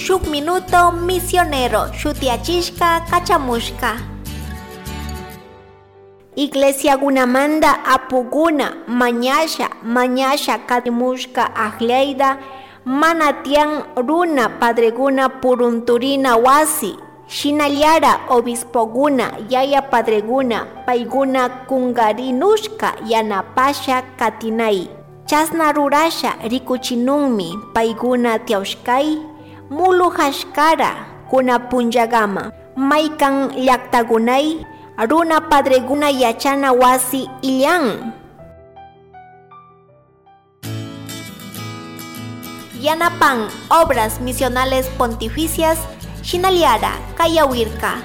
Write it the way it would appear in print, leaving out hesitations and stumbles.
Shuk Minuto Misionero shutiachishka kachamushka. Iglesiagunamanda apuguna mañasha mañasha katimushka akllaida mana tiyan runa padreguna purunturina wasi shinallara obispoguna yaya padreguna paiguna kungarinushka yanapasha katinay chasna rurasha rikuchinunmi paiguna tiyawshkay mulujashkara kuna punllagama maykan llaktagunay runa padreguna yachana wasi illan. Yanapan Obras Misionales Pontificias Shinaliara Kayawirka.